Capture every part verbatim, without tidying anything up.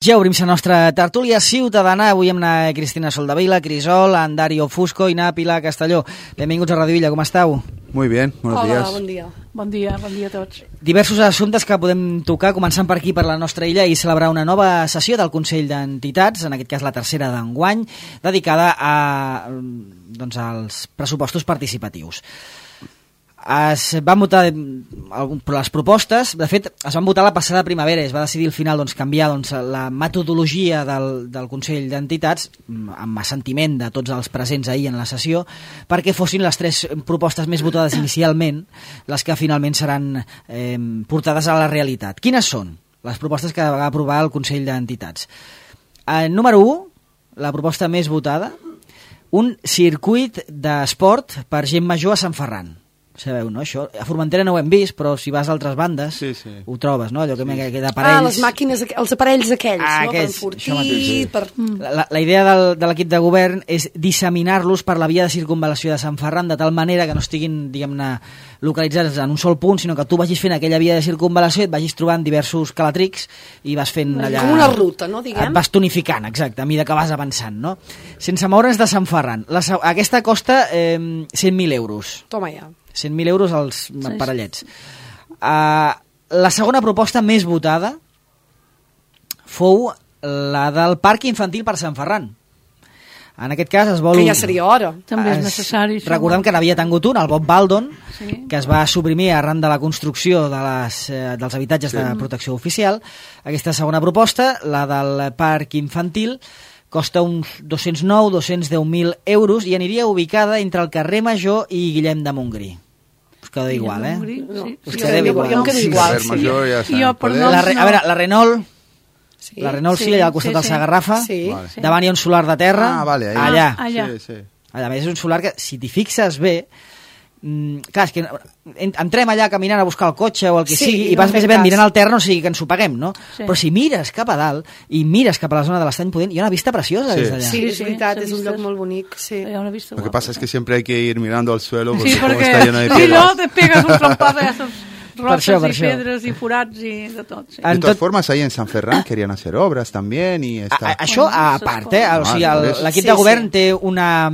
Ja obrim la nostra tertúlia ciutadana, avui amb la Cristina Soldevila, Crisol, en Dario Fusco i na Pilar Castelló. Benvinguts a Radio Villa, com esteu? Muy bien, buenos Hola, días. bon dia. Bon dia, bon dia a tots. Diversos assumptes que podem tocar, començant per aquí, per la nostra illa, i celebrar una nova sessió del Consell d'Entitats, en aquest cas la tercera d'enguany, dedicada a, doncs, als pressupostos participatius. Es van votar les propostes, de fet es van votar la passada primavera, es va decidir al final doncs, canviar doncs, la metodologia del, del Consell d'Entitats amb assentiment de tots els presents ahir en la sessió, perquè fossin les tres propostes més votades inicialment les que finalment seran eh, portades a la realitat. Quines són les propostes que va aprovar el Consell d'Entitats? Eh, número u, la proposta més votada, un circuit d'esport per gent major a Sant Ferran. Sabeu, no? Això, a Formentera no ho hem vist, però si vas a altres bandes sí, sí. ho trobes, no? Allò que, sí. que d'aparells... Ah, les màquines, els aparells aquells, ah, no? Aquests, per enfortir... Sí. Per... La, la idea del, de l'equip de govern és disseminar-los per la via de circunvalació de Sant Ferran, de tal manera que no estiguin, diguem-ne, localitzats en un sol punt, sinó que tu vagis fent aquella via de circunvalació i et vagis trobant diversos calatrics i vas fent allà... Com una ruta, no, diguem? Et vas tonificant, exacte, a mesura que vas avançant, no? Sense moure's de Sant Ferran. La, aquesta costa eh, cent mil euros. Toma ja. cent mil euros als parellets. Uh, la segona proposta més votada fou la del Parc Infantil per Sant Ferran. En aquest cas es vol... Que ja seria hora. També és necessari. Això. Recordem que n'havia tingut un, el Bob Baldon, sí. que es va suprimir arran de la construcció de les, eh, dels habitatges sí. de protecció oficial. Aquesta segona proposta, la del Parc Infantil, costa uns dos-cents nou a dos-cents deu mil euros i aniria ubicada entre el carrer Major i Guillem de Montgrí. Us queda igual, eh? No. Sí. Us queda igual. Jo em quedo igual, sí. Major, ja sí. Jo, per la, a veure, la Renault, sí. la Renault sí, sí, allà al costat sí, del sí. Sagarrafa, sí. Vale. davant hi ha un solar de terra, ah, vale, ahí. allà. Ah, allà. Sí, sí. Allà, és un solar que, si t'hi fixes bé, mm, clar, és que entrem allà caminant a buscar el cotxe o el que sí, sigui i no vas més ben cas. mirant al terra, no sigui que ens ho paguem, no? Sí. Però si mires cap a dalt i mires cap a la zona de l'Estany Pudent, hi ha una vista preciosa Sí. des d'allà. Sí, és Sí, veritat, sí, és un lloc molt bonic, sí. Ja una vista Lo que guapa. pasa es que siempre hay que ir mirando al suelo porque, Sí, como perquè está lleno de si piedras. no te pegas un trompazo a esos rocas això, per y això. pedres y forats i de tot. Sí. En De todas tot- formas, ahí en San Ferran querían hacer obras también y A, está... a, això a part, eh? O sigui, el- l'equip Sí, de govern sí. té una,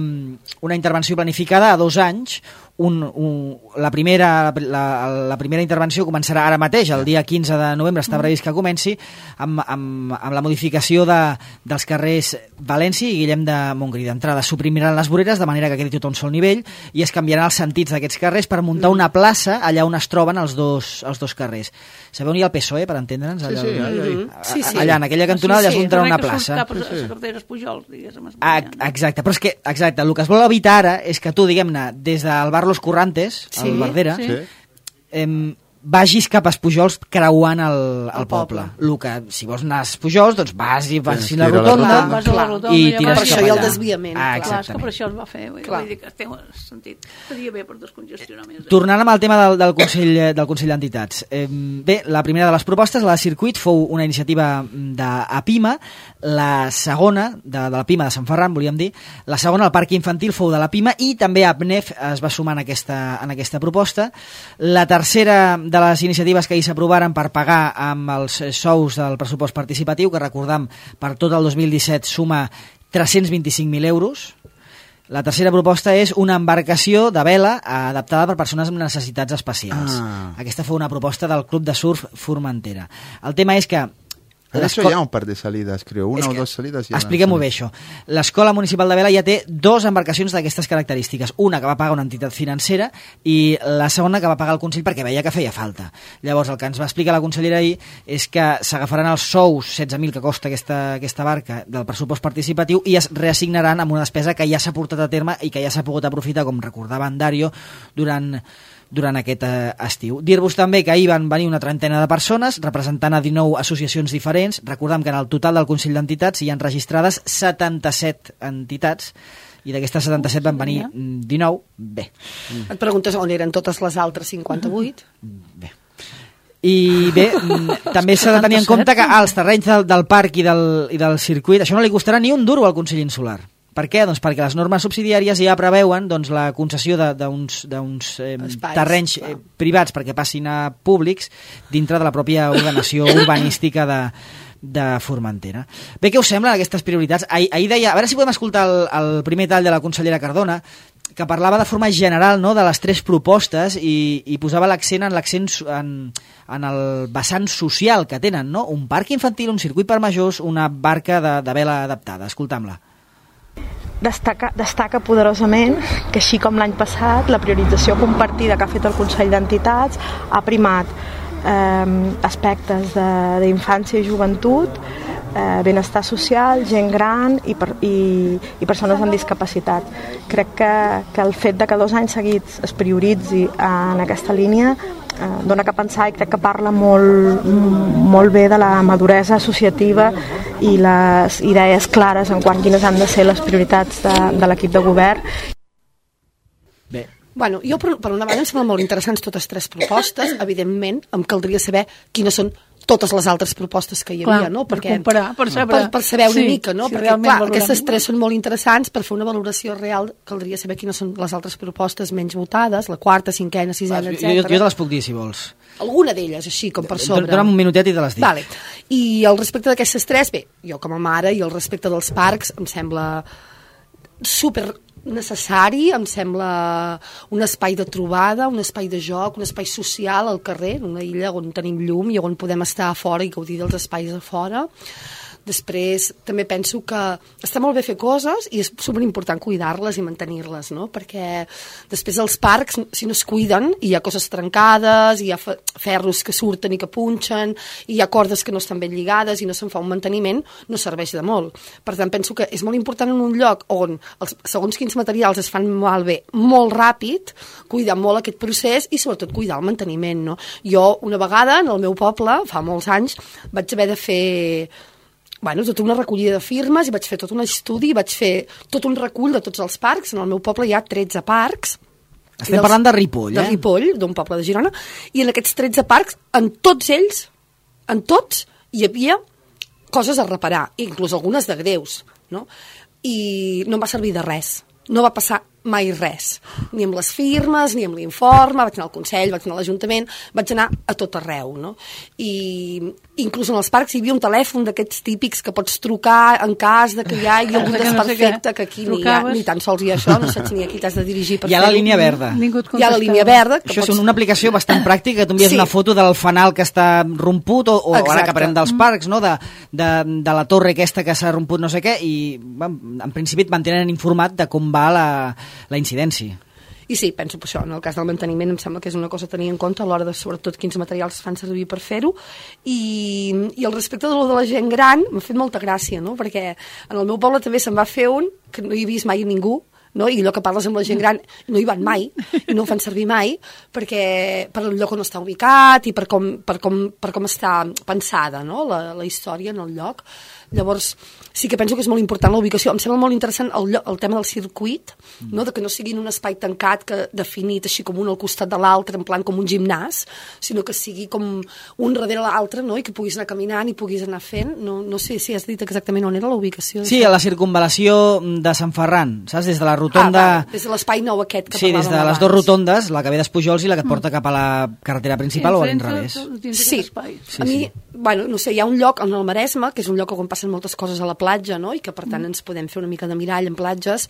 una intervenció planificada a dos anys. Un, un, la, primera, la, la primera intervenció començarà ara mateix, el dia quinze de novembre està previst que comenci, amb, amb, amb la modificació de, dels carrers València i Guillem de Montgrí. D'entrada suprimiran les voreres de manera que quedi tot a un sol nivell i es canviaran els sentits d'aquests carrers per muntar una plaça allà on es troben els dos, els dos carrers. Sabeu on hi ha el P S O E, per entendre'ns? Sí, Allà, sí, ahí, ahí. Mhm. Sí, sí. allà, en aquella cantonada, Sí, allà sí. es muntarà una Res que plaça. surta per les carreteres Pujols, diguéssim. Ah, exacte, però és que exacte, el que es vol evitar ara és que tu, diguem-ne, des del bar Los Currantes, Sí, al Verdera, sí. Sí. em, vagis cap a Pujols creuant el, el El poble. poble. El que, si vols anar a Pujols, doncs vas i vas Tens a la que ir a la rotonda, rotonda. Vas a la rotonda i ja tires vas Per cap això hi ha el allà. desviament, Ah, clar. Clar, és que exactament. per això es va fer. Vull Clar. dir que té sentit. Estaria bé per descongestionar més. Tornant amb el tema del, del Consell del Consell d'Entitats. Eh, bé, la primera de les propostes, la de circuit, fou una iniciativa d'Apima, la segona, de, de la Pima de Sant Ferran, volíem dir, la segona, el Parc Infantil, fou de la Pima, i també APNEF es va sumar en aquesta, en aquesta proposta. La tercera de les iniciatives que ahir s'aprovaren per pagar amb els sous del pressupost participatiu, que recordam, per tot el dos mil disset suma tres-cents vint-i-cinc mil euros. La tercera proposta és una embarcació de vela adaptada per persones amb necessitats especials. Ah. Aquesta fou una proposta del Club de Surf Formentera. El tema és que... Han hecho l'esco- ya un par de salidas, creo. Una és o que- dos salidas. ya Expliquem-ho han bé, salido. això. L'Escola Municipal de Vela ja té dues embarcacions d'aquestes característiques. Una que va pagar una entitat financera i la segona que va pagar el Consell perquè veia que feia falta. Llavors, el que ens va explicar la consellera ahir és que s'agafaran els sous, setze mil que costa aquesta, aquesta barca, del pressupost participatiu i es reassignaran amb una despesa que ja s'ha portat a terme i que ja s'ha pogut aprofitar, com recordava en Dario, durant... durant aquest eh, estiu. Dir-vos també que ahir van venir una trentena de persones representant a dinou associacions diferents. Recordem que en el total del Consell d'Entitats hi han registrades setanta-set entitats i d'aquestes setanta-set van venir mm, dinou. Bé. Et preguntes on eren totes les altres cinquanta-vuit? Bé. I bé, mm, també s'ha de tenir en compte que als terrenys del, del parc i del, i del circuit això no li costarà ni un duro al Consell Insular. Per què? Doncs perquè les normes subsidiàries ja preveuen doncs, la concessió d'uns eh, terrenys eh, privats perquè passin a públics dintre de la pròpia ordenació urbanística de, de Formentera. Bé, què us semblen aquestes prioritats? Ahir, ahir deia, a veure si podem escoltar el, el primer tall de la consellera Cardona, que parlava de forma general, no?, de les tres propostes i, i posava l'accent en l'accent en, en el vessant social que tenen, no? Un parc infantil, un circuit per majors, una barca de, de vela adaptada. Escoltam-la. Destaca, destaca poderosament que, així com l'any passat, la priorització compartida que ha fet el Consell d'Entitats ha primat eh, aspectes d'infància i joventut, eh, benestar social, gent gran i, per, i, i persones amb discapacitat. Crec que, que el fet de que dos anys seguits es prioritzi en aquesta línia eh, dona que pensar i crec que parla molt, molt bé de la maduresa associativa i les idees clares en quant quines han de ser les prioritats de, de l'equip de govern. Bé. Bueno, jo per, per una banda em semblen molt interessants totes tres propostes. Evidentment em caldria saber quines són totes les altres propostes que hi havia, clar, no? Perquè, per comparar, per saber, per, per saber una sí, mica, no? Si Perquè, clar, valorem. aquestes tres són molt interessants. Per fer una valoració real caldria saber quines són les altres propostes menys votades, la quarta, cinquena, sisena, Jo, etcètera. jo te les puc dir, si vols. Alguna d'elles, així, com per sobre. Dona'm un minutet i te les dic. Vale. I al respecte d'aquestes tres, bé, jo com a mare, i al respecte dels parcs, em sembla super necessari, em sembla un espai de trobada, un espai de joc, un espai social al carrer, una illa on tenim llum i on podem estar a fora i gaudir dels espais a fora. Després també penso que està molt bé fer coses i és superimportant cuidar-les i mantenir-les, no? Perquè després els parcs, si no es cuiden, hi ha coses trencades, hi ha ferros que surten i que punxen, hi ha cordes que no estan ben lligades i no se'n fa un manteniment, no serveix de molt. Per tant, penso que és molt important en un lloc on els, segons quins materials es fan malbé molt ràpid, cuidar molt aquest procés i sobretot cuidar el manteniment, no? Jo una vegada en el meu poble, fa molts anys, vaig haver de fer bueno, tota una recollida de firmes i vaig fer tot un estudi i vaig fer tot un recull de tots els parcs. En el meu poble hi ha tretze parcs. Estem parlant de Ripoll, eh? De Ripoll, d'un poble de Girona. I en aquests tretze parcs, en tots ells, en tots, hi havia coses a reparar, inclús algunes de greus, no? I no em va servir de res. No va passar mai res, ni amb les firmes, ni amb l'informe, vaig anar al Consell, vaig anar a l'Ajuntament, vaig anar a tot arreu, no? I inclús en els parcs hi havia un telèfon d'aquests típics que pots trucar en cas de que hi hagi algun desperfecte, que aquí ni, ha, ni tan sols hi ha això, no saps ni a qui t'has de dirigir per fer-ho. Hi ha la línia verda. Hi ha la línia verda. Això és una aplicació bastant pràctica, que tu envies sí. una foto del fanal que està romput, o, o ara que parlem dels parcs, no? de, de, de la torre aquesta que s'ha romput no sé què, i en principi et mantenen informat de com va la la incidència. I sí, penso per això, en el cas del manteniment em sembla que és una cosa a tenir en compte a l'hora de sobretot quins materials es fan servir per fer-ho, i, i al respecte de lo de la gent gran m'ha fet molta gràcia, no? Perquè en el meu poble també se'n va fer un que no hi he vist mai ningú, no? I allò que parles amb la gent gran no hi van mai i no ho fan servir mai perquè per el lloc on està ubicat i per com, per com, per com està pensada, no? la, la història en el lloc. Llavors sí que penso que és molt important la ubicació. Em sembla molt interessant el, el tema del circuit, no? De que no sigui en un espai tancat que definit així com un al costat de l'altre, en plan com un gimnàs, sinó que sigui com un darrere l'altre, no? I que puguis anar caminant i puguis anar fent. No, no sé si has dit exactament on era la ubicació. Sí, a la circunvalació de Sant Ferran, saps? Des de la rotonda... Ah, va, des de l'espai nou aquest que sí, parlàvem des de les abans. dues rotondes, la que ve d'Espujols i la que et porta cap a la carretera principal, o a l'inrevés. Sí, sí, a mi, sí. bueno, no sé, hi ha un lloc en el Maresme, que és un lloc on passen moltes coses a la platja, no? I que per tant ens podem fer una mica de mirall en platges.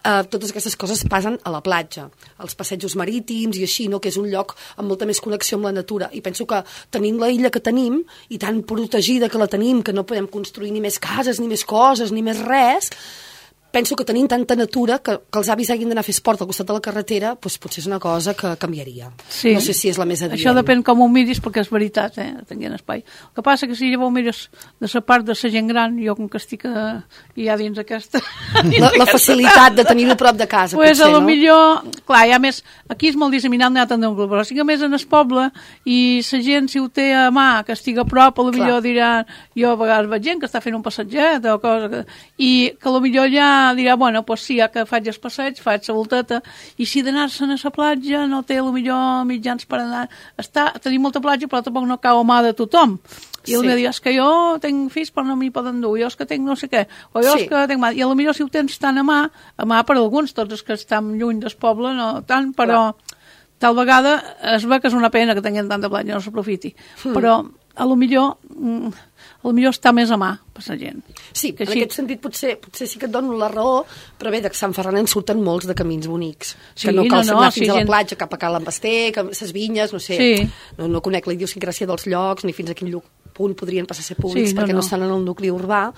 Uh, totes aquestes coses passen a la platja, als passejos marítims i així, no? Que és un lloc amb molta més connexió amb la natura. I penso que tenint la illa que tenim, i tan protegida que la tenim, que no podem construir ni més cases, ni més coses, ni més res, penso que tenint tanta natura que, que els avis hagin d'anar a fer esport al costat de la carretera, doncs potser és una cosa que canviaria. Sí. No sé si és la més adient. Això depèn com ho miris, perquè és veritat, eh? Tenint espai. El que passa que si llavors mires de la part de la gent gran, jo com que estic a, ja dins aquesta... La, la facilitat de tenir-ho prop de casa, pues potser, a lo no? millor, clar, ja més, aquí és molt disseminat, no hi ha tant d'un grup, però si que més en el poble, i la gent, si ho té a mà, que estigui a prop, a lo millor diran, jo a vegades veig gent que està fent un passatget o cosa, que, i que a lo millor ja dirà, bueno, pues sí, ja que faig el passeig, faig la volteta, i si d'anar-se'n a la platja no té a lo millor mitjans per anar, està, tenim molta platja, però tampoc no cau a mà de tothom. I sí. El dia és que jo tinc fills però no m'hi poden dur, jo és que tinc no sé què, o jo sí. És que tinc mà, i a lo millor si ho tens tan a mà, a mà per alguns, tots els que estan lluny del poble, no tant, però clar. Tal vegada es ve que és una pena que tinguin tanta platja, no s'aprofiti, mm. però a lo millor, a lo millor està més a mà per la gent. Sí, que en així... aquest sentit potser, potser sí que et dono la raó, però bé, de Sant Ferran en surten molts de camins bonics. Sí, que no cal no, no, anar sí, fins a la gent... platja, cap a Cal Embasté, les vinyes, no sé. Sí. No, no conec la idiosincràsia dels llocs, ni fins a quin lloc punt podrien passar a ser públics, Sí, no, perquè no, no. no estan en el nucli urbà,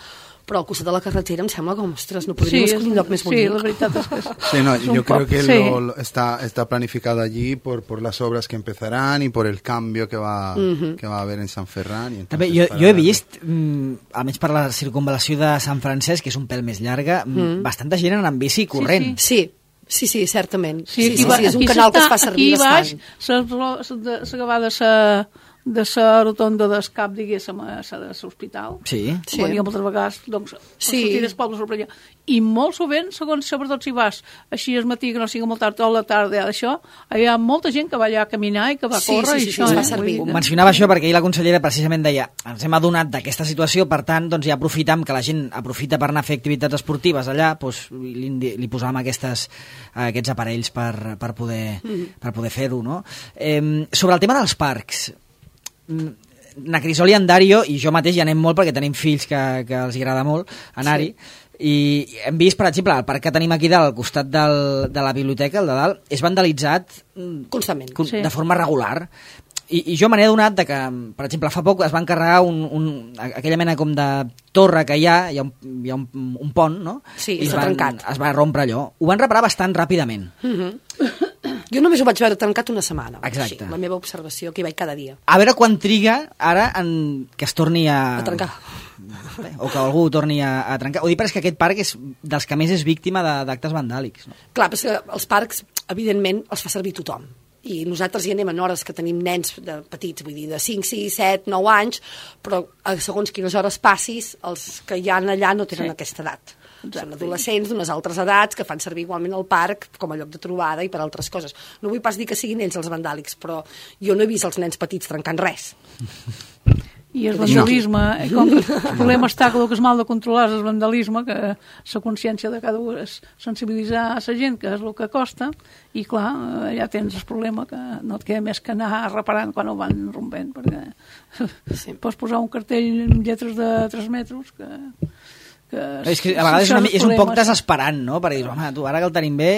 però al costat de la carretera em sembla com, ostres, no podríem Sí, escollir un lloc més sí, bonic. la veritat és que... Sí, no, és un yo creo poc- que sí. lo, lo- está, está planificado allí por, por las obras que empezarán y por el cambio que va, Ujú. que va a haber en San Ferran. Y També, entonces jo, para jo he darle- vist, mm, almenys per la circunvalació de Sant Francesc, que és un pèl més llarga, mm. bastanta gent anant en bici i corrent. Sí, sí, sí, certament. Sí, Sí, sí, aquí, sí, és un aquí canal que es s'està- fa servir aquí baix, bastant. s'acaba de sa de la rotonda d'escap, diguéssim, a l'hospital. Sí. Sí. Com diguem moltes vegades, doncs, Sí. sí. sortir dels pobles per allà. I molt sovint, segons, sobretot si vas així al matí, que no sigui molt tard, o a la tarda, això, hi ha molta gent que va allà a caminar i que va Sí, córrer. sí, i sí, això, sí, es fa eh? servir. Vull dir que- Mencionava això perquè ahir la consellera precisament deia ens hem adonat d'aquesta situació, per tant, doncs ja aprofitam que la gent aprofita per anar a fer activitats esportives allà, doncs li, li posàvem aquestes, aquests aparells per, per poder, mm. per poder fer-ho, no? Eh, sobre el tema dels parcs, na Crisol i en Dario i jo mateix hi anem molt perquè tenim fills que, que els agrada molt anar-hi, sí. I hem vist, per exemple, el parc que tenim aquí dalt, al costat del, de la biblioteca, el de dalt, és vandalitzat Constantment. con- Sí. de forma regular. I, i jo me n'he adonat de que, per exemple, fa poc es va encarregar un, un, aquella mena com de torre que hi ha, hi ha un, hi ha un, un pont, no? Sí, I es està van- trencat. Es va rompre allò. Ho van reparar bastant ràpidament. Jo només ho vaig veure tancat una setmana. Exacte. Així, la meva observació, que hi vaig cada dia. A veure quan triga ara en, que es torni a... A trencar. Bé, o que algú ho torni a, a trencar. Ho dic perquè és que aquest parc és dels que més és víctima de- d'actes vandàlics. No? Clar, però és que els parcs, evidentment, els fa servir tothom. I nosaltres hi anem en hores que tenim nens de petits, vull dir, de cinc, sis, set, nou anys, però a segons quines hores passis, els que hi ha allà no tenen Sí. aquesta edat. Són adolescents d'unes altres edats que fan servir igualment el parc com a lloc de trobada i per altres coses. No vull pas dir que siguin ells els vandàlics, però jo no he vist els nens petits trencant res. I el vandalisme, eh, com que el problema està que el que és mal de controlar és el vandalisme, que la consciència de cada un és sensibilitzar a la gent, que és el que costa, i clar, eh, ja tens el problema que no et queda més que anar reparant quan ho van rompent, perquè Sí. pots posar un cartell amb lletres de tres metres que... que És que a vegades és, una, mi- és un poc problemes. desesperant, no? Perquè dius, home, tu, ara que el tenim bé,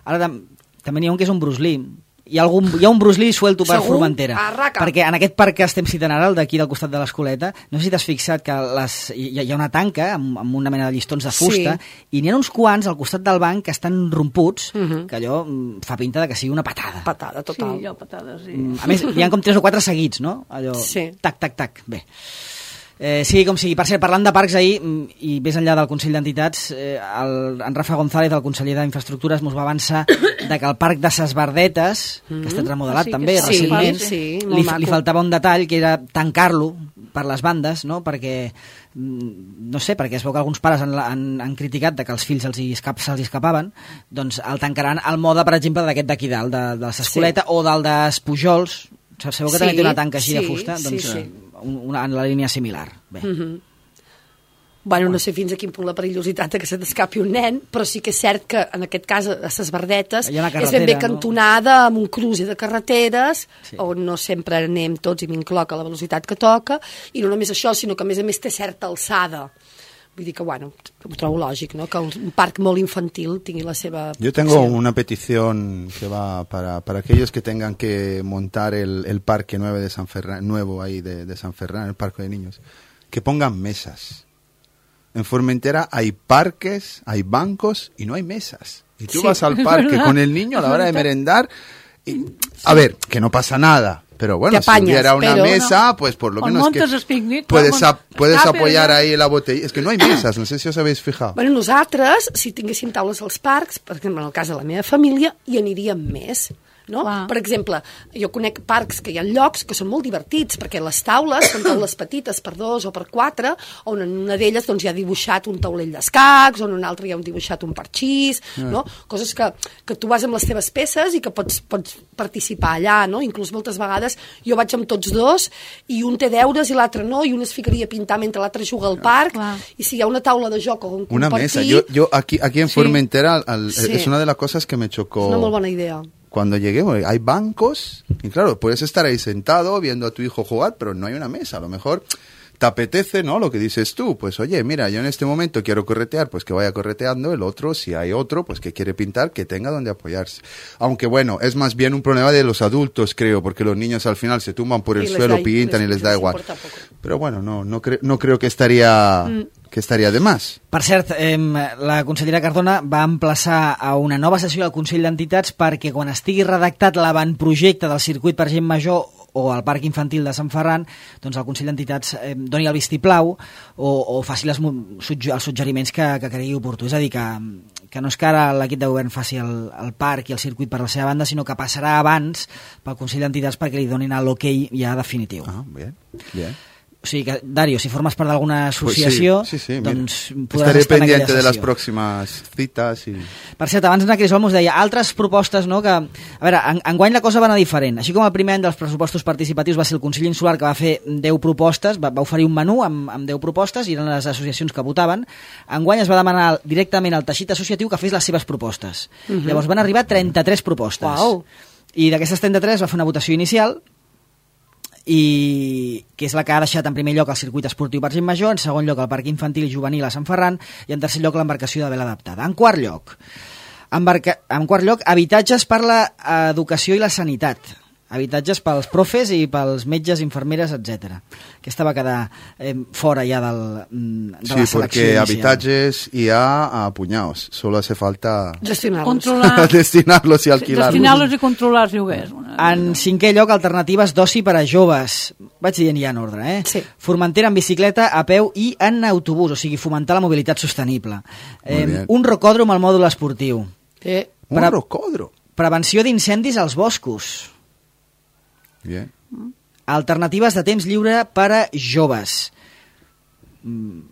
ara tam també n'hi ha un que és un Bruce Lee. Hi ha, algun, hi ha un Bruce Lee suelto per Segur? Formentera. Arraca. Perquè en aquest parc que estem citant ara, el d'aquí del costat de l'Escoleta, no sé si t'has fixat que les, hi, hi ha una tanca amb, amb una mena de llistons de fusta, Sí. i n'hi ha uns quants al costat del banc que estan romputs, Uh -huh. que allò mm, fa pinta de que sigui una patada. Patada, total. Sí, allò, patades, sí. Mm, A més, hi ha com tres o quatre seguits, no? Allò, Sí. tac, tac, tac. Bé. Eh, sigui com sigui. Per cert, parlant de parcs ahir, mm, i més enllà del Consell d'Entitats, eh, el, en Rafa González, el conseller d'Infraestructures, mos va avançar de que el parc de Ses Verdetes, que ha estat remodelat Ah, sí, també que sí, recentment, sí, molt li, maco. li faltava un detall, que era tancar-lo per les bandes, no? Perquè, mm, no sé, perquè es veu que alguns pares han, han, han criticat de que els fills se'ls escap, se escapaven, doncs el tancaran al mode, per exemple, d'aquest d'aquí dalt, de, de l'Escoleta, sí. o del dels Pujols. Sabeu que Sí, també té una tanca així de sí, fusta? sí, Doncs sí. eh, una, en la línia similar. Bé. Mm -hmm. Bueno, no sé fins a quin punt la perillositat de que se t'escapi un nen, però sí que és cert que en aquest cas a Ses Verdetes Hi ha una és ben carretera, bé no? cantonada amb un cruci de carreteres Sí. on no sempre anem tots i m'incloc a la velocitat que toca, i no només això, sinó que a més a més té certa alçada. Vull dir que, bueno, ho trobo lògic, no?, que un parc molt infantil tingui la seva... Yo tengo una petición que va para, para aquellos que tengan que montar el, el parque nuevo de San Ferran, nuevo ahí de, de San Ferran, el parque de niños, que pongan mesas. En Formentera hay parques, hay bancos y no hay mesas. Y tú Sí, vas al es parque verdad. con el niño a la hora de merendar y, a ver, que no pasa nada. Pero bueno, Te si apañas, hubiera una pero mesa, no. pues por lo O menos que montes el picnic, puedes, vamos, ap- puedes escape, apoyar ¿no? ahí la botella. Es que no hay mesas, no sé si os habéis fijado. Bueno, nosaltres, si tinguéssim taules als parcs, per exemple, en el cas de la meva família, hi aniríem més. No? Clar. Per exemple, jo conec parcs que hi ha llocs que són molt divertits, perquè les taules són taules petites per dos o per quatre, on en una d'elles doncs, hi ha dibuixat un taulell d'escacs, on en una altra hi ha dibuixat un parxís, no? Coses que, que tu vas amb les teves peces i que pots, pots participar allà, no? Inclús moltes vegades jo vaig amb tots dos i un té deures i l'altre no, i un es ficaria a pintar mentre l'altre juga al parc, Clar. i si hi ha una taula de joc o un Una compartir, mesa. Yo, yo aquí, aquí en Sí. Formentera al- Sí. es una de las cosas que me chocó. és una molt bona idea. cuando lleguemos. Hay bancos y claro, puedes estar ahí sentado viendo a tu hijo jugar, pero no hay una mesa. A lo mejor te apetece, ¿no? Lo que dices tú, pues oye, mira, yo en este momento quiero corretear, pues que vaya correteando. El otro, si hay otro, pues que quiere pintar, que tenga donde apoyarse. Aunque bueno, es más bien un problema de los adultos, creo, porque los niños al final se tumban por el suelo, da, pintan les, y les da les igual. Pero bueno, no, no, cre no creo que estaría... Mm. que estaria de más. Per cert, eh, la consellera Cardona va emplaçar a una nova sessió del Consell d'Entitats perquè quan estigui redactat l'avantprojecte del circuit per gent major o el Parc Infantil de Sant Ferran, doncs el Consell d'Entitats eh, doni el vistiplau o, o faci les, els suggeriments que, que cregui oportú. És a dir, que, que no és que ara l'equip de govern faci el, el parc i el circuit per la seva banda, sinó que passarà abans pel Consell d'Entitats perquè li donin l'ok ja definitiu. Ah, bé, bé. O sigui que, Dario, si formes part d'alguna associació, pues sí, sí, sí, doncs mira, podràs estaré estar en aquella pendiente sessió. de les pròximes cites. I... Per cert, abans en Cris Olmos deia altres propostes, no?, que, a veure, en, enguany la cosa va anar diferent. Així com el primer any dels pressupostos participatius va ser el Consell Insular, que va fer deu propostes, va, va oferir un menú amb, amb deu propostes, i eren les associacions que votaven. Enguany es va demanar directament al teixit associatiu que fes les seves propostes. Uh-huh. Llavors van arribar trenta-tres propostes. Uau. I d'aquestes trenta-tres va fer una votació inicial, i que és la que ha deixat en primer lloc el circuit esportiu per gent major, en segon lloc el parc infantil i juvenil a Sant Ferran i en tercer lloc l'embarcació de vela adaptada. En quart lloc, embarca... en quart lloc habitatges per l'educació i la sanitat, habitatges pels profes i pels metges, infermeres, etcètera. Aquesta va quedar eh, fora ja del, de sí, la selecció porque inicial. Habitatges hi ha a puñados, solo hace falta gestionar-los, destinarlos i alquilar-los. Destinar-los i controlar els lloguers. En cinquè lloc, alternatives d'oci per a joves. Vaig dient ja en ordre, eh? Sí. Formentera en bicicleta, a peu i en autobús, o sigui, fomentar la mobilitat sostenible. Eh, un rocòdrom al mòdul esportiu. Eh. Un Pre rocòdrom? Prevenció d'incendis als boscos. Bien. Alternatives de temps lliure per a joves. Mm,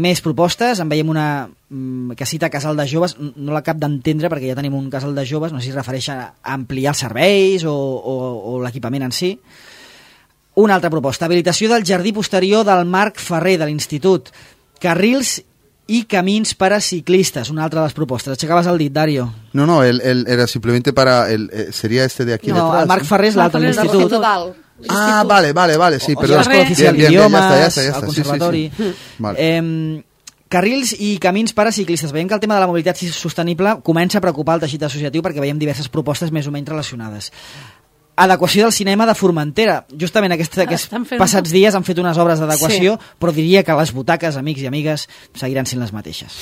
més propostes, en veiem una mm, que cita casal de joves, no l'acabo d'entendre perquè ja tenim un casal de joves, no sé si es refereix a ampliar els serveis o, o, o l'equipament en si. Una altra proposta, habilitació del jardí posterior del Marc Ferrer de l'Institut, carrils i camins per a ciclistes, una altra de les propostes. Aixecaves el dit, Dario. No, no, el, el, era simplemente para... El, eh, sería este de aquí no, detrás. No, el Marc Ferrer és l'altre de l'Institut. Ah, vale, vale, vale, sí, o, perdó. L'escola oficial d'idiomes, el conservatori. Sí, sí, sí. Vale. Eh, carrils i camins per a ciclistes. Veiem que el tema de la mobilitat sostenible comença a preocupar el teixit associatiu perquè veiem diverses propostes més o menys relacionades. Adequació del cinema de Formentera. Justament aquests, aquests fent... passats dies han fet unes obres d'adequació, sí. Però diria que les butaques, amics i amigues, seguiran sent les mateixes.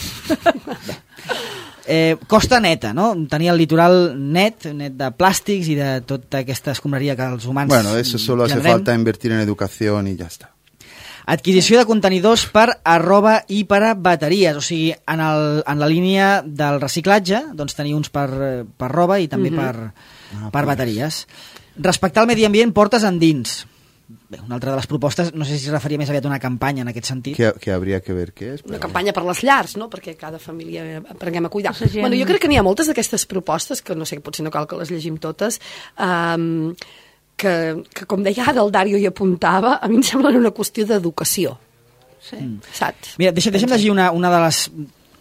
eh, costa neta, no? Tenir el litoral net, net de plàstics i de tota aquesta escombraria que els humans... Bueno, eso solo hace falta invertir en educación y ya está. Adquisició de contenidors per a roba i per a bateries, o sigui, en, el, en la línia del reciclatge, doncs tenir uns per, per roba i també mm-hmm. per, ah, per pues. bateries. Respectar el medi ambient portes endins. Bé, una altra de les propostes, no sé si es referia més aviat a una campanya en aquest sentit. Que, que hauria que ver què és. Una campanya per les llars, no? Perquè cada família aprenguem a cuidar. Bueno, jo crec que n'hi ha moltes d'aquestes propostes, que no sé, potser no cal que les llegim totes, um, que, que com deia ara el Dario hi apuntava, a mi em sembla una qüestió d'educació. Sí. Mm. Saps? Mira, deixa, deixa'm llegir una, una de les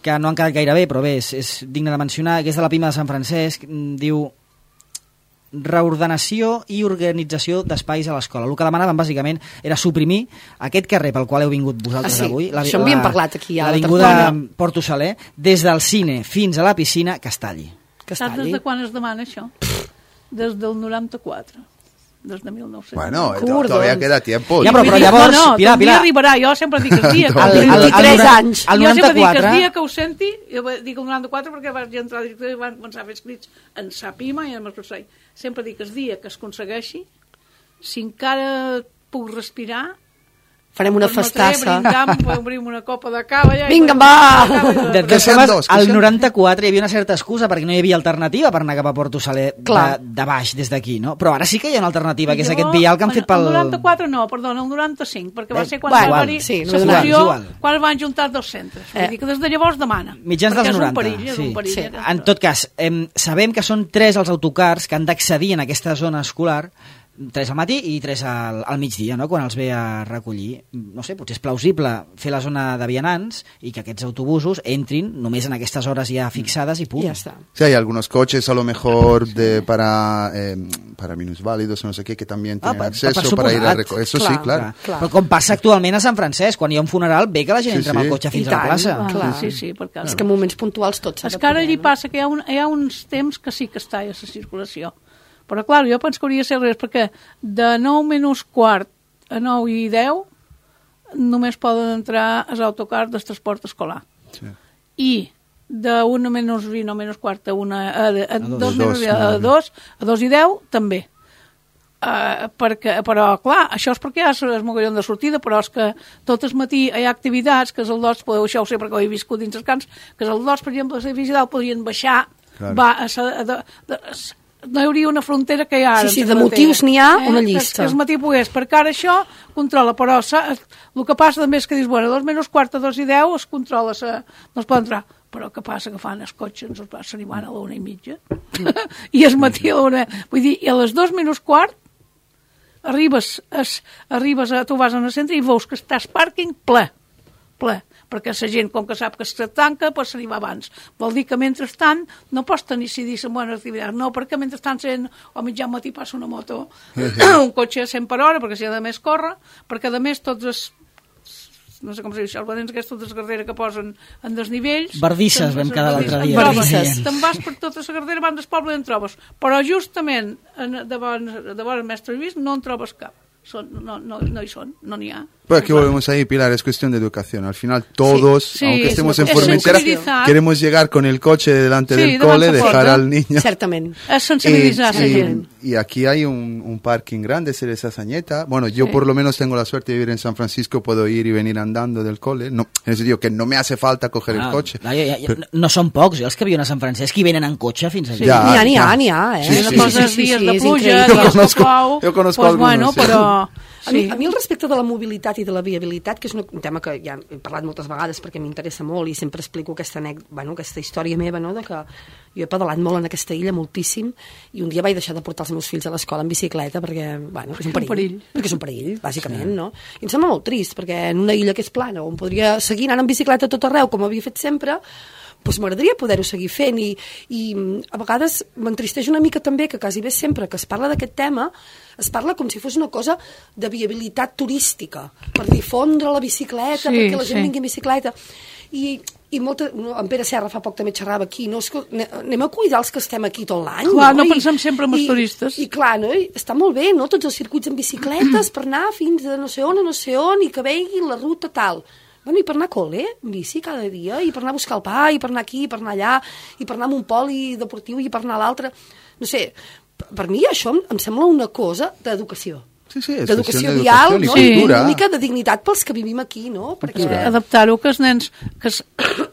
que no han quedat gaire bé, però bé, és, és digne de mencionar, que és de la Pima de Sant Francesc, diu... reordenació i organització d'espais a l'escola. El que demanaven bàsicament era suprimir aquest carrer pel qual heu vingut vosaltres ah, sí. avui, la, això havíem parlat aquí a l'avinguda Porto Saler, des del cine fins a la piscina, que es talli. Que es talli. Saps des de quan es demana això? Des del noranta-quatre. Des de mil nou-cents. Bueno, Cur, todavía queda tiempo. Ja, però, però llavors, no, no, Pilar, Pilar... arribarà, jo sempre dic el dia... al, al, al, vint-i-tres anys. Al jo sempre dic noranta-quatre... el dia que ho senti, jo dic el noranta-quatre perquè vaig entrar a director i van començar a fer escrits en Sapima i en Masrossai. Sempre dic el dia que es aconsegueixi, si encara puc respirar, farem una festassa. Brindam, obrim una copa de cava. Ja, vinga, va! De totes formes, al noranta-quatre hi havia una certa excusa perquè no hi havia alternativa per anar cap a Porto Saler de, de baix, des d'aquí, no? Però ara sí que hi ha una alternativa, que és jo, aquest vial que han fet pel... El noranta-quatre no, perdona, el noranta-cinc, perquè va ser quan bueno, va haver-hi sí, la fusió, quan van juntar dos centres. Eh. Vull dir que des de llavors demana. Mitjans dels noranta. Perill, sí. perill, sí. En tot cas, eh, sabem que són tres els autocars que han d'accedir en aquesta zona escolar tres al matí i tres al, al migdia, no? Quan els ve a recollir. No sé, potser és plausible fer la zona de vianants i que aquests autobusos entrin només en aquestes hores ja fixades i punt. Ja està. Sí, hay algunos coches a lo mejor de, para, eh, para minusválidos o no sé qué que también tienen ah, acceso per, per para ir a recoger. Eso clar, sí, claro. Clar, clar. Però com passa actualment a Sant Francesc, quan hi ha un funeral, bé que la gent Sí, entra sí. amb el cotxe fins I a la tant, plaça. ah, clar. Sí, sí, perquè... És que en moments puntuals tot s'ha És de que ara poder, allí no? passa que hi ha, un, hi ha uns temps que sí que està a la circulació. Però, clar, jo penso que hauria de ser al revés, perquè de nou menys quart a nou i deu només poden entrar els autocars del transport escolar. Sí. I de una menys vint o menys quart a, una, a, a, a, dos. dos, Dos, menys, a, dos, a dos i deu també. Uh, perquè, però, clar, això és perquè hi ha el mogollon de sortida, però és que tot el matí hi ha activitats, que és el dos, podeu això ho sé perquè ho he viscut dins els camps, que és el dos, per exemple, a l'edifici dalt podrien baixar, Claro. va, a, a, de, de, no hi hauria una frontera que hi ha ara. Sí, sí, en de carretera. motius n'hi ha una Que, llista. que el matí pogués, perquè ara això controla, però sa, el que passa també és que dius, bueno, a dos menys quart, a dos i deu es controla, sa, no es pot entrar. Però què passa que fan els cotxes, ens se n'hi van a l'una i mitja, i el matí a l'una... Vull dir, i a les dos menys quart arribes, es, arribes a, tu vas al centre i veus que estàs pàrquing ple, ple, perquè la gent, com que sap que se tanca, pues se n'hi va abans. Vol dir que mentrestant no pots tenir, si dir, bones activitats, no, perquè mentrestant sent, o mitjà matí passa una moto, un cotxe a cent per hora, perquè si ha de més córrer, perquè a més tots els no sé com se diu això, els badents aquests de carretera que posen en desnivells... Bardisses vam quedar l'altre dia. Bardisses. Te'n vas per tota la carretera abans del poble i en trobes. Però justament en, davant, davant el mestre Lluís no en trobes cap. Son, no, no, no hi són, no n'hi ha. Pero aquí volvemos ahí, Pilar, es cuestión de educación. Al final todos, Sí, sí, aunque es estemos una- en es Formentera, sensibilizar. queremos llegar con el coche delante Sí, del davant cole, la dejar porta. al niño. Certament. És sensibilitzar Y, la y- gent. y aquí hay un, un parking grande, Cereza Sañeta. Bueno, yo Sí. por lo menos tengo la suerte de vivir en San Francisco, puedo ir y venir andando del cole. No, en el sentido que no me hace falta coger Ah, el coche. ja, ja, ja, Pero- no, no són pocs, eh, els que viuen a Sant Francesc i venen en cotxe fins allà. Sí. Ya, N'hi ha, n'hi ha, ya. n'hi ha, eh? Sí, Una sí, cosa sí, és sí, dies sí, de és pluja, increïble. Jo dies que conozco- plou, jo conozco pues, algunos, bueno, sí. però... A mi, Sí. a mi el respecte de la mobilitat i de la viabilitat, que és un tema que ja he parlat moltes vegades perquè m'interessa molt i sempre explico aquesta, anècdota, bueno, aquesta història meva, no?, de que jo he pedalat molt en aquesta illa, moltíssim, i un dia vaig deixar de portar els meus fills a l'escola en bicicleta perquè, bueno, és un perill, Un perill. perquè és un perill, bàsicament, no? I em sembla molt trist, perquè en una illa que és plana, on podria seguir anant en bicicleta a tot arreu, com havia fet sempre, doncs m'agradaria poder-ho seguir fent i, i a vegades m'entristeix una mica també que quasi bé sempre que es parla d'aquest tema es parla com si fos una cosa de viabilitat turística, per difondre la bicicleta, Sí, perquè la gent sí. vingui en bicicleta i, i molta, no, en Pere Serra fa poc també xerrava aquí, no? Escol- ne- anem a cuidar els que estem aquí tot l'any, Clar, no I- pensem sempre en els i- turistes. i clar, no? I està molt bé, no?, tots els circuits en bicicletes per anar fins a no sé on, a no sé on i que veguin la ruta tal. Bueno, i per anar a col·le, en bici cada dia, i per anar a buscar el pa, i per anar aquí, i per anar allà, i per anar a un poli deportiu, i per anar a l'altre. No sé, per mi això em, em sembla una cosa d'educació. Sí, sí, es D'educació cuestión de vial, educación y no? I cultura. una mica de dignitat pels que vivim aquí, no? Perquè... Adaptar-ho que els nens que es,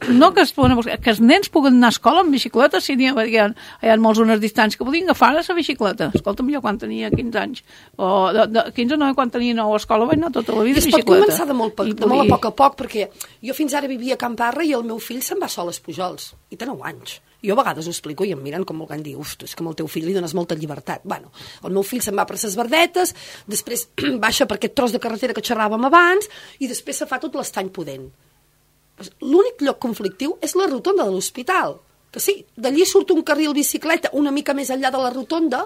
no que es poden buscar, que els nens puguen anar a escola amb bicicleta si n'hi ha, hi ha, hi ha molts unes distàncies que podien agafar la bicicleta. Escolta'm, jo quan tenia quinze anys o de, de quinze no, quan tenia nou a escola vaig anar tota la vida I es a pot bicicleta. començar de molt, I de molt a podia- poc a poc, perquè jo fins ara vivia a Can Parra i el meu fill se'n va sol als Pujols, i té nou anys. Jo a vegades ho explico i em miren com volent dir, uf, tu, és que amb el teu fill li dones molta llibertat. Bueno, el meu fill se'n va per ses verdetes, després baixa per aquest tros de carretera que xerràvem abans i després se fa tot l'estany pudent. L'únic lloc conflictiu és la rotonda de l'hospital, que sí, d'allí surt un carril bicicleta una mica més enllà de la rotonda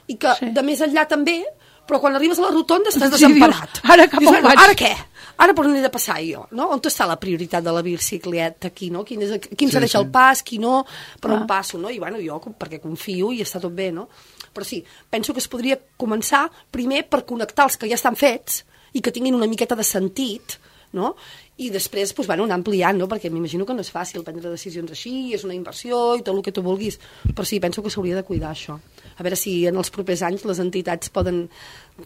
i que Sí. de més enllà també, però quan arribes a la rotonda estàs Sí, desemparat. dius, ara cap Dius, on bueno, vaig? ara què? Ara per on he de passar jo? No? On està la prioritat de la bicicleta aquí? No? Quin, és, quin Sí, se deixa sí. el pas, qui no, per on Ah. passo? No? I bueno, jo, perquè confio i està tot bé, no? Però sí, penso que es podria començar primer per connectar els que ja estan fets i que tinguin una miqueta de sentit, no? I després, doncs, bueno, anar ampliant, no? Perquè m'imagino que no és fàcil prendre decisions així, és una inversió i tot el que tu vulguis, però sí, penso que s'hauria de cuidar això. A veure si en els propers anys les entitats poden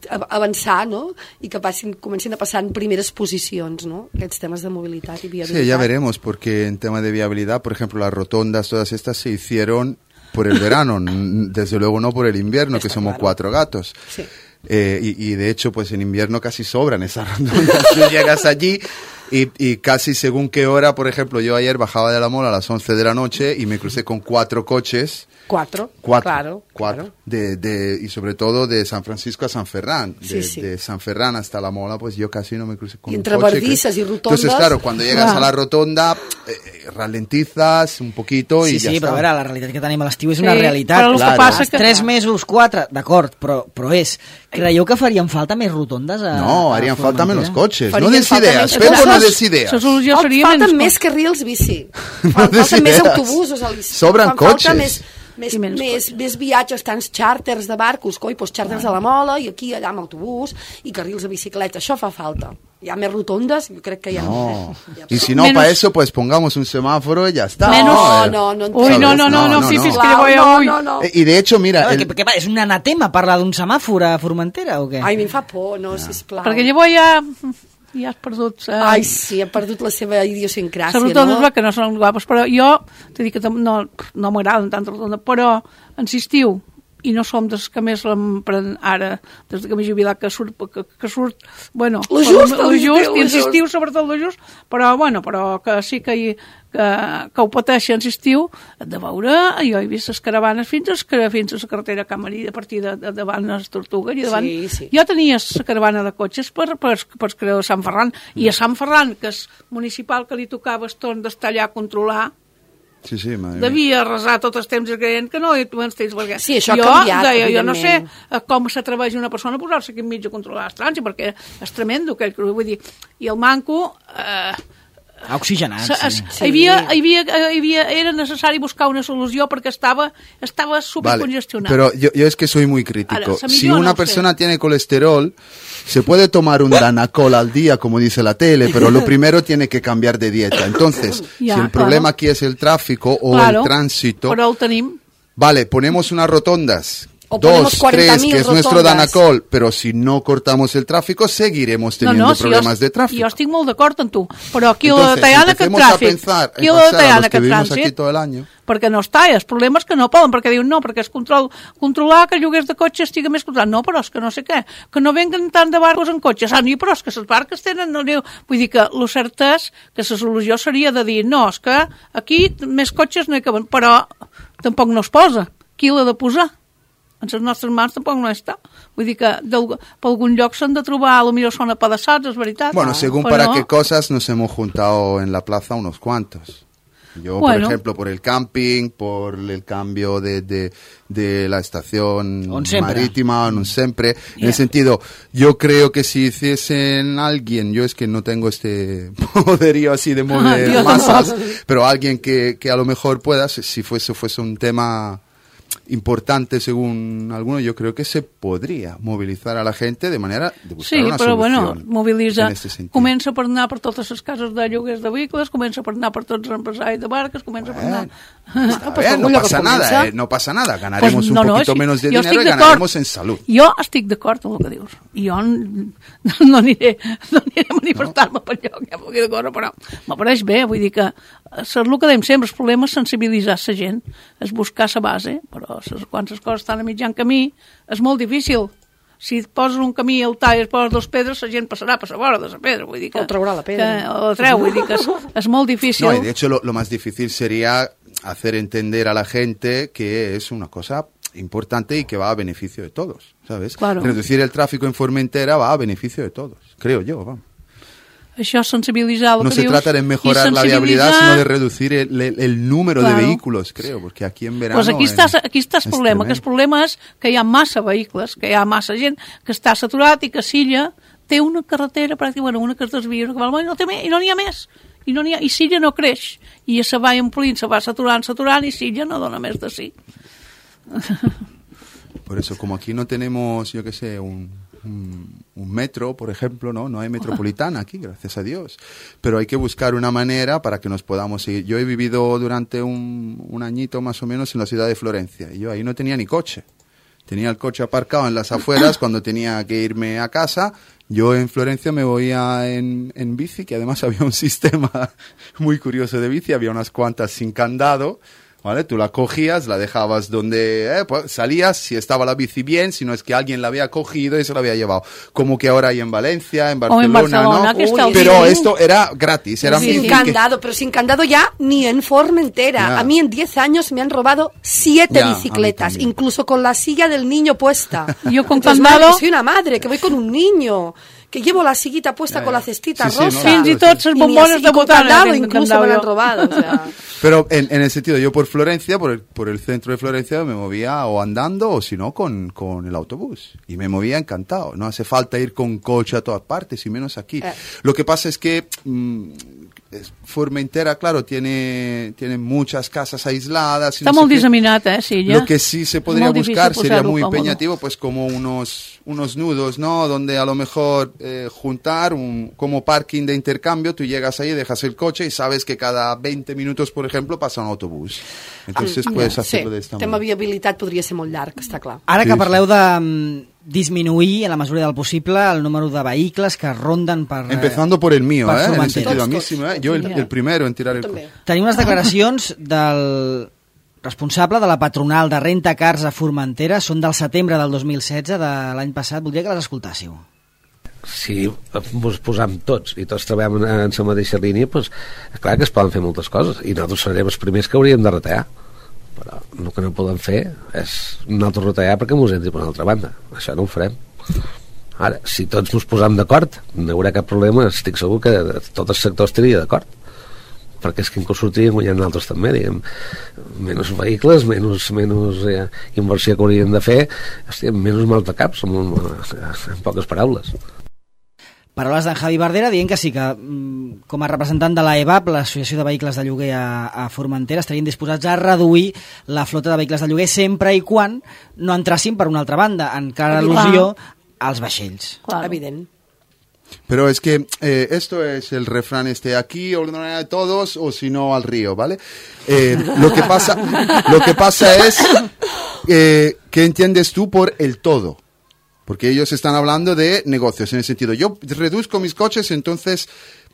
av- avançar, no? I que passin, comencin a passar en primeres posicions, no? Aquests temes de mobilitat i viabilitat. Sí, ya veremos, porque en tema de viabilidad, por ejemplo, las rotondas, todas estas se hicieron por el verano, n- desde luego no por el invierno, que Está somos claro. cuatro gatos. Sí. Eh, y, y de hecho, pues en invierno casi sobran esas rotondas. Tú llegas allí Y, y casi según qué hora, por ejemplo, yo ayer bajaba de la Mola a las once de la noche y me crucé con cuatro coches. Cuatro, Cuatro, claro. cuatro. Claro. De, de, y sobre todo de San Francisco a San Ferran. De, Sí, sí. de San Ferran hasta la Mola, pues yo casi no me crucé con Y un entre coche. bardisas que... y rotondas. Entonces, claro, cuando llegas Clar. a la rotonda, eh, ralentizas un poquito Sí, i ja sí, està. però a veure, la realitat que tenim a l'estiu és Sí, una realitat. però el que passa que- Tres mesos, quatre, d'acord, però, però és... Creieu que farien falta més rotondes a No, a harían falta Formentera? menos coches. Farien No des falta idees. més Pepo no coses. des idees. La solució Fal- seria falten menys més carrils bici. No Fal- des falten més idees. autobusos a l'estiu. Sobren Fan falta cotxes. Més, més, I menys més, més viatges, tants xàrters de barcos, coi, doncs xàrters a la Mola i aquí, allà amb autobús i carrils de bicicleta. Això fa falta. Hi ha més rotondes, jo crec que hi ha... No. Ja Y si no, Menos- para eso, pues pongamos un semáforo y ya está. Menos- No, Eh, no, no. Ui, no, no, no, No, no, no, fifis no. que voy no, avui. no, no. Eh, Y de hecho, mira, Veure, el- què, què, va, és un anatema parlar d'un semàfor a Formentera o què? Ai, a mi em fa por, no, sisplau. Perquè llavors ja, ja has perdut... Eh, Ai, sí, ha perdut la seva idiosincràsia, Sobretot no? no? que no són guapes, però jo t'he dit que tam- no, no m'agraden tant rotondes, però insistiu, i no som dels que més l'empren ara, des que m'he jubilat, que surt, que, que surt bueno, Lo just, lo lo just, just, i lo insistiu sobretot lo just, però, bueno, però que sí que, hi, que, que ho pateixen, insistiu, de veure, jo he vist les caravanes fins a, fins a la carretera Camarí, a partir de, de davant les Tortugues, i davant, Sí, sí. jo tenia la caravana de cotxes per, per, per creu de Sant Ferran, i a Sant Ferran, que és municipal que li tocava eston d'estar allà a controlar, Sí, sí, madre mía. devia arrasar tots els temps creient que no hi havia temps, perquè Sí, això ha jo, canviat, deia, jo no sé evidentment. eh, com s'atreveix una persona a posar-se aquí enmig a controlar els trànsit, perquè és tremendo aquell, vull dir, i el manco eh, Ha oxigenat, se- es, sí. Sí. hi havia, hi havia, hi havia, era necessari buscar una solució perquè estava, estava Vale, supercongestionat. pero yo, yo es que soy muy crítico. Ahora, Sammy, Si yo una no sé. persona tiene colesterol, se puede tomar un Danacol al día, como dice la tele, pero lo primero tiene que cambiar de dieta. Entonces, Ya, si el problema claro. aquí es el tráfico o Claro, el tránsito, però el tenim. vale, ponemos unas rotondas. O ponemos Dos, cuarenta tres, mil que es nuestro rotondas. Danacol, pero si no cortamos el tráfico, seguiremos teniendo si problemas jo, de tráfico. Jo estic molt d'acord amb tu, però aquí la Entonces, detallada que el empecemos a tràfic, pensar, aquí en la pensar a detallada los que que el vivimos aquí trànsit, todo el año. perquè no està, els problemes que no poden, perquè diuen no, perquè és control, controlar que el lloguers de cotxe estigui més controlat, no, però és que no sé què, que no venguen tant de barcos en cotxes, ah, no, però és que les barques tenen, no, no, vull dir que el cert és que la solució seria de dir, no, és que aquí més cotxes no hi caben, però tampoc no es posa, qui l'ha de posar? En les nostres mans tampoc no està. Vull dir que per algun lloc s'han de trobar, potser són apedaçats, és veritat. Bueno, según Però- para qué cosas nos hemos juntado en la plaza unos cuantos. Yo, Bueno. por ejemplo, por el camping, por el cambio de, de, de la estación On sempre. marítima, en un siempre. En Yeah. el sentido, yo creo que si hiciesen alguien, yo es que no tengo este poderío así de mover Dios, masas, pero alguien que, que a lo mejor pueda, si si fuese, fuese un tema importante según algunos, yo creo que se podría movilizar a la gente de manera de buscar Sí, una però bueno, solución mobilitza, en este sentido. comença per anar per totes les cases de lloguers de vehicles, comença per anar per tots els empresaris de barques, comença per anar... Está pues bien, no algún pasa que comienza. nada, eh, no pasa nada, ganaremos Pues un no, no, poquito sí, menos de jo dinero estic y d'acord. ganaremos en salud. Jo estic d'acord amb el que dius. Jo n- no aniré, no aniré a manifestar-me no. per lloc, ja m'ho de córrer, però m'apareix bé, vull dir que és el que dèiem sempre, el problema és sensibilitzar la gent, és buscar la base, però ses, quan les coses estan a mitjan camí és molt difícil. Si et poses un camí al tall i es poses dos pedres, la gent passarà per la vora de la pedra. Vull dir que, O traurà la pedra. Que, o la treu, vull dir que és, és molt difícil. No, y de hecho lo, lo más difícil sería hacer entender a la gente que es una cosa importante y que va a beneficio de todos, ¿sabes? Claro. Reducir el tráfico en Formentera va a beneficio de todos, creo yo, vamos. Això és sensibilitzar el No que se dius, trata de i mejorar la viabilidad, sensibilitzar- sino de reducir el, el- el número Claro. de vehículos, creo, porque aquí en verano... Pues aquí en- està, aquí està el es problema, que el tremendo. problema és que hi ha massa vehicles, que hi ha massa gent que està saturat i que Silla té una carretera, pràcticament, bueno, una que es desvia, una que va, i no, té més, i no n'hi ha més. I, no n'hi ha, I Silla no creix. I se va omplint, se va saturant, saturant, i Silla no dona més de sí. Por eso, como aquí no tenemos, yo qué sé, un, un, un metro, por ejemplo, ¿no? No hay metropolitana aquí, gracias a Dios. Pero hay que buscar una manera para que nos podamos ir. Yo he vivido durante un, un añito más o menos en la ciudad de Florencia y yo ahí no tenía ni coche. Tenía el coche aparcado en las afueras cuando tenía que irme a casa. Yo en Florencia me voy a, en, en bici, que además había un sistema muy curioso de bici, había unas cuantas sin candado, ¿vale? Tú la cogías, la dejabas donde eh, pues, salías, si estaba la bici bien, si no es que alguien la había cogido y se la había llevado. Como que ahora hay en Valencia, en Barcelona, en Barcelona, ¿no? que está Uy, pero bien. esto era gratis, era Sin bici candado, pero sin candado ya ni en Formentera. Ya. A mí en diez años me han robado siete Ya, a mí bicicletas, también. incluso con la silla del niño puesta. Yo con Entonces, candado- madre, que soy una madre, que voy con un niño, que llevo la sillita puesta Ya, con ya. la cestita Sí, sí, rosa. no, Fins i tot les Y ni bombones así, de con botana candado, tenen incluso candado me la han jo. robado. O sea. Pero en, en el sentido, yo por Florencia, por el, por el centro de Florencia, me movía o andando o si no con, con el autobús. Y me movía encantado. No hace falta ir con coche a todas partes y menos aquí. Eh. Lo que pasa es que mm, es- Formentera, claro, tiene, tiene muchas casas aisladas. y Està no sé molt qué. disseminat, eh, Silla? Lo que sí se podría Molt difícil buscar sería posar-ho muy còmode. empeñativo, pues como unos, unos nudos, ¿no? Donde a lo mejor eh, juntar un, como parking de intercambio, tú llegas ahí, dejas el coche y sabes que cada veinte minutos, por ejemplo, pasa un autobús. Entonces puedes Sí, hacerlo de esta tema manera. viabilitat podria ser molt llarg, està clar. Ara Sí, que sí. parleu de mm, disminuir, en la mesura del possible, el número de vehicles que ronden per... eh, Empezando por el mío, per ¿eh? En el Formentera. sentido, a mí Tots, sí, tots. ¿eh? Yo el, Ja. el primero en tirar el També. coche. Tenim unes declaracions del responsable de la patronal de Renta Cars a Formentera, són del setembre del dos mil setze, de l'any passat. Voldria que les escoltássiu. Si ens posam tots i tots treballem en, en la mateixa línia, doncs, clar que es poden fer moltes coses i nosaltres serem els primers que hauríem de retallar, però el que no podem fer és nosaltres retallar perquè mos entri per una altra banda. Això no ho farem. Ara, si tots ens posam d'acord, no hi haurà cap problema, estic segur que tot el sector estaria d'acord, perquè és que inclús sortiríem guanyant nosaltres també, diguem, menys vehicles, menys, menys eh, inversió que hauríem de fer, hòstia, menys mal de caps, en, en poques paraules. Paraules d'en Javi Bardera dient que sí que, mm, com a representant de l'A E B A P, l'Associació de Vehicles de Lloguer a, a Formentera, estarien disposats a reduir la flota de vehicles de lloguer sempre i quan no entrassin per una altra banda, en clara al·lusió als vaixells. Claro. Evident. Pero es que eh, esto es el refrán este, aquí ordenar a todos o si no al río, ¿vale? Eh, lo que pasa, lo que pasa es eh, ¿qué entiendes tú por el todo? Porque ellos están hablando de negocios, en el sentido, yo reduzco mis coches, entonces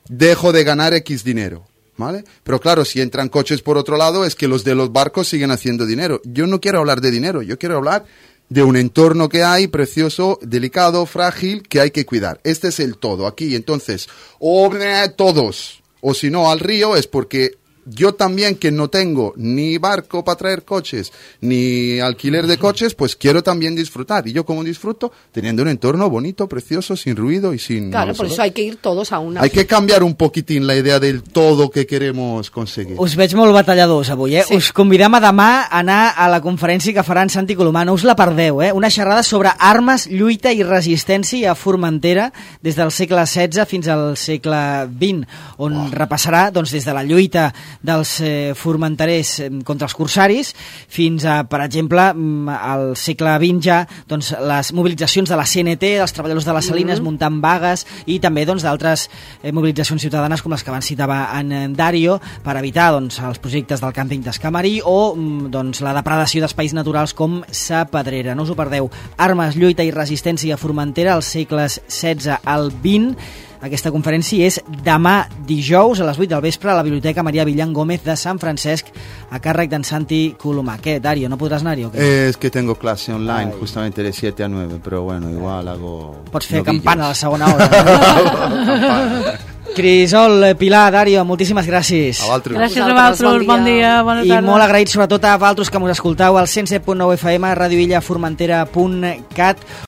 dejo de ganar X dinero, ¿vale? Pero claro, si entran coches por otro lado, es que los de los barcos siguen haciendo dinero. Yo no quiero hablar de dinero, yo quiero hablar de un entorno que hay precioso, delicado, frágil, que hay que cuidar. Este es el todo aquí. Entonces, o eh, todos, o si no al río, es porque yo también, que no tengo ni barco para traer coches, ni alquiler de coches, pues quiero también disfrutar. Y yo como disfruto, teniendo un entorno bonito, precioso, sin ruido y sin... Claro, no por sé. eso hay que ir todos a una. Hay que cambiar un poquitín la idea del todo que queremos conseguir. Us veig molt batalladors avui, eh? Sí. Us convidem a demà a anar a la conferència que faran Santi Colomà. No us la perdeu, eh? Una xerrada sobre armes, lluita i resistència a Formentera des del segle setze fins al segle vint, on oh. repassarà doncs, des de la lluita dels eh, formenterers eh, contra els corsaris fins a, per exemple, mm, al segle vint ja, doncs, les mobilitzacions de la C N T, dels treballadors de les Salines, mm -hmm. muntant vagues, i també doncs, d'altres eh, mobilitzacions ciutadanes com les que van citar en, en Dario per evitar doncs, els projectes del càmping d'Escamarí o mm, doncs, la depredació d'espais naturals com Sa Pedrera. No us ho perdeu. Armes, lluita i resistència a Formentera als segles setze al vint. Aquesta conferència és demà dijous a les vuit del vespre a la Biblioteca Maria Villan Gómez de Sant Francesc, a càrrec d'en Santi Colomà. Què, Dario, no podràs anar-hi o què? Eh, es que tengo clase online Ay. justamente de siete a nueve, pero bueno, igual hago... Pots fer novillos. campana a la segona hora. Crisol, Pilar, Dario, moltíssimes gràcies. A vosaltres. Gràcies a Vosaltres, vosaltres, bon bon dia. dia, bona I tarda. molt agraït sobretot a vosaltres que mos escoltau al cent set punt nou F M, radioillaformentera punt cat.